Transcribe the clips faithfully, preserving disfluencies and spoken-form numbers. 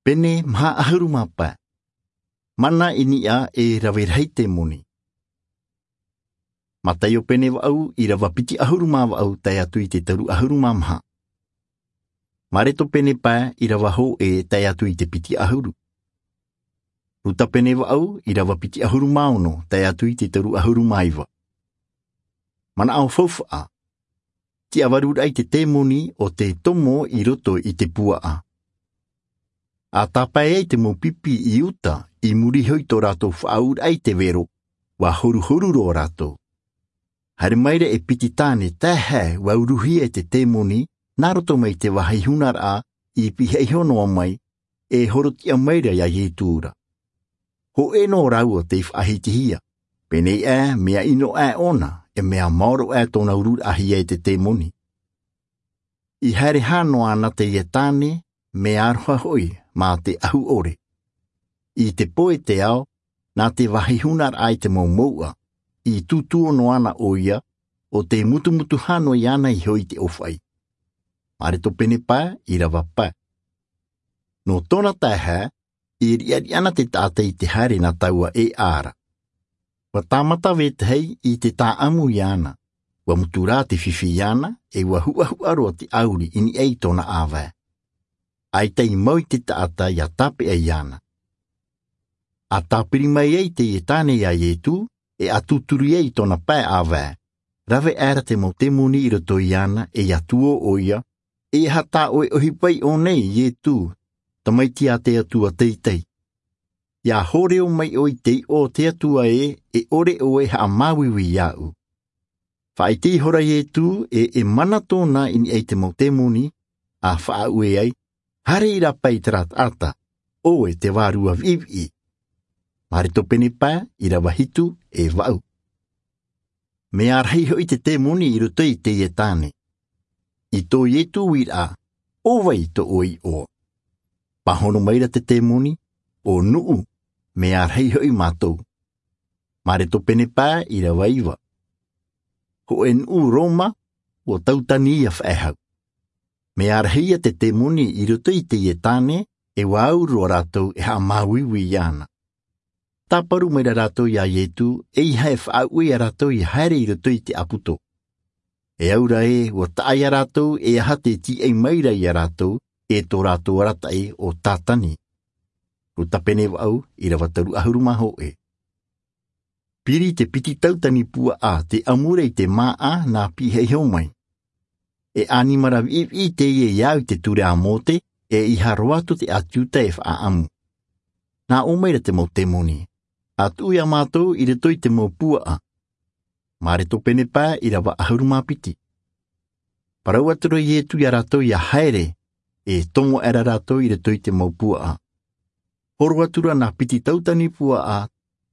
Pene maha ʻahuru mā pae. Mana i niʻa e rave rahi te moni. Mataio pene vaʻu, ʻīrava piti ʻahuru mā vaʻu tae atu i te toru ʻahuru mā maha. Mareto pene pae, ʻīrava hōʻē tae atu i te piti ʻahuru. Ruta pene vaʻu, ʻīrava piti ʻahuru mā ono tae atu i te toru ʻahuru mā iva. Manaʻo faufaʻa. Tiʻavaruraʻa i te temoni o te tomo i roto i te puaʻa. A tāpae ai te mau pipi i uta, i muri iho i tō rātou faʻaʻauraʻa i te vero, ʻua horuhoru roa rātou. Haere mai ra e piti tāne taehae ʻua uruhia e te temoni nā roto mai te vāhi hunaraʻa, i pihaʻi iho noa mai, e horotiʻa mai ra iā Ietu ra. Hōʻē nō rāua tei faʻahitihia, pēnei aʻe mea ʻino aʻe ʻōna, e mea maoro aʻe tōna ururaʻahia e te temoni. I haere hā noa ana teie tāne, mea aroha hoʻi mā te ʻahu ʻore. I te pō e te ao, nā te vāhi hunaraʻa i te mau mouʻa, i tūtū noa ana ʻoia, ʻo tē mutumutu hānui ana iho i te ʻōfaʻi. Mareto pene pae, ʻīrava pae. Nō tōna taehae, i riʻariʻa ana te taʻata i te haere nā taua e ʻā ra. ʻUa tāmata vetahi i te tāʻamu iāna, ʻua mutu rā te fifi iāna, e ʻua huʻahuʻa roa te ʻauri i niʻa i tōna ʻāvae. ʻAita i mau i te taʻata ʻia tāpeʻa iāna. A tāpiri mai ai teie tāne iā Ietu, e a tūturi ai i tōna pae ʻāvae, rave aʻera te mau temoni i roto iāna, e ʻia tuō ʻoia, e aha tā ʻoe ʻohipa iʻō nei, Ietu, tamaiti a te Atua teitei? ʻIa hōrero mai ʻoe i te iʻoa o te Atua ē, e ʻore ʻoe e haʻamāuiui iāʻu. Faʻaʻite ihora Ietu, e, e mana tōna i niʻa i te mau temoni, a faʻaue ai, haere i rāpae i terā taʻata, ʻoe te vārua viʻiviʻi. Mareto pene pae, ʻīrava hitu, e vaʻu. Mea rahi hoʻi te temoni i roto i teie tāne. I tō Ietu uiraʻa, ʻo vai tō ʻoe iʻoa? Pāhono mai ra te temoni, ʻo nuʻu, mea rahi hoʻi mātou. Mareto pene pae, ʻīrava iva. Hōʻē nuʻu Roma, ʻua tautani ʻia faʻehau. Mea rahi ia te temoni i roto i teie tāne, e ʻua au roa rātou e haʻamāuiui iāna. Tāparu mai ra rātou iā Ietu, ʻeiaha e faʻaue iā rātou ʻia haere i roto i te ʻāputo. E au ra ē, ʻua taʻa iā rātou e aha tē tīaʻi mai ra iā rātou, e tō rātou arataʻi ʻo Tātani. Ruta pene vaʻu, ʻīrava toru ʻahuru mā hōʻē. Piri te piti tautani puaʻa tei ʻamu ra i te māʻa nā pihaʻi iho mai. E ʻanimara viʻiviʻi teie i au i te ture a Mōte, e ʻeiaha roa atu te ʻĀti Iuta e faʻaʻamu. Nā ʻō mai ra te mau temoni, ʻa tuʻu iā mātou i roto i te mau puaʻa. Mareto pene pae, ʻīrava ʻahuru mā piti. Parau atu ra Ietu iā rātou ʻia haere, e tomo aʻera rātou i roto i te mau puaʻa. Horo atu ra nā piti tautani puaʻa,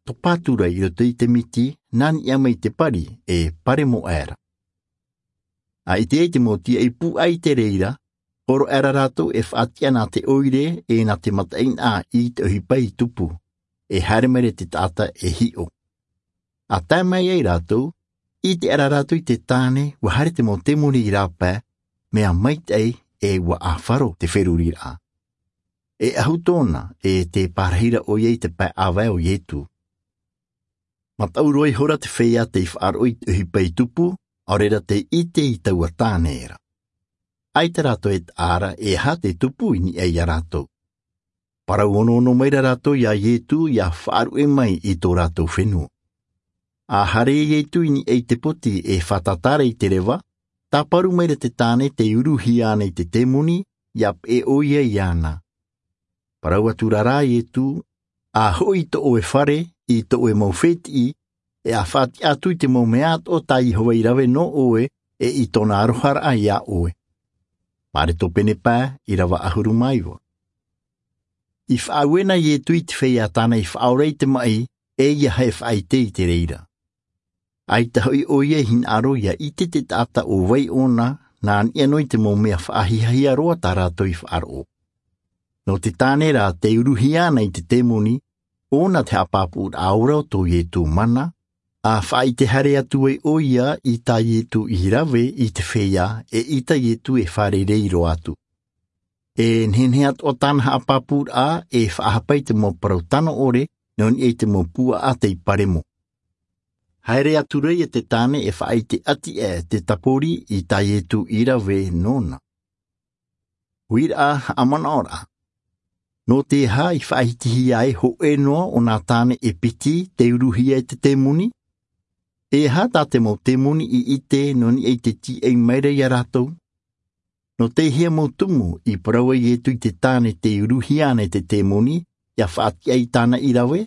topa atu ra i roto i te miti, nā niʻa mai i te pari, e paremo aʻera. A ʻite ai te mau tīaʻi pūai i te reira, horo aʻera rātou e faʻatiʻa nā te ʻoire, e nā te mataʻeinaʻa i te ʻohipa i tupu, e haere mai ra te taʻata e hiʻo. A tae mai ai rātou, ʻite aʻera rātou i te tāne, ʻua haere te mau temoni i rāpae, mea maitaʻi, e ʻua ʻāfaro te feruriraʻa. E ʻahu tōna, e tē pārahi ra ʻoia i te pae ʻāvae o Ietu. Mataʻu roa ihora te feiā tei faʻaroʻo i te ʻohipa i tupu, ʻaore ra tei ʻite i taua tāne ra. ʻAita rātou e taʻa ra e aha tē tupu i niʻa iā rātou. Parau onoono mai ra rātou iā Ietu ʻia faʻaruʻe mai i tō rātou fenua. A haere Ietu i niʻa i te poti e fātata ra i te reva, tāparu mai ra te tāne tei uruhia ana i te temoni, ʻia peʻe ʻoia iāna. Parau atu ra rā Ietu, ʻa hoʻi i tō ʻoe fare, i tō ʻoe mau fētiʻi, e ʻa faʻatiʻa atu i te mau mea atoʻa tā Iehova i rave nō ʻoe, e i tōna aroharaʻa iā ʻoe. Mareto pene pae, ʻīrava ʻahuru mā iva. I faʻaue na Ietu i te feiā tāna i faʻaora i te maʻi, e ʻeiaha e faʻaʻite i te reira. ʻAita hoʻi ʻoia i hinaʻaro ʻia ʻite te taʻata ʻo vai ʻōna, nā niʻa noa i te mau mea faʻahiahia roa tā rātou i faʻaroʻo. Nō te tāne rā tei uruhia ana i te temoni, ʻōna te haʻapāpūraʻa ora o tō Ietu mana, a faʻaʻite haere atu ai ʻoia i tā Ietu i rave i te feiā, e i tā Ietu e fārerei roa atu. E nehenehe atoʻa tāna haʻapāpūraʻa e faʻahapa i te mau parau tano ʻore nō niʻa i te mau puaʻa tei paremo. Haere atu rā ia te tāne e faʻaʻite ʻati ʻē te tapori i tā iesu i rave nōna. Uiraʻa haʻamanaʻoraʻa. Nō te aha i faʻahitihia ai hoʻē noa o nā tāne e piti te uruhia e te temoni? E aha tā te mau temoni i ʻite nō niʻa i te tīaʻi mai ra iā rātou? Nō te hea mau tumu i parau ai iesu i te tāne te uruhia ana e te temoni ia faʻatiʻa i tāna i rave?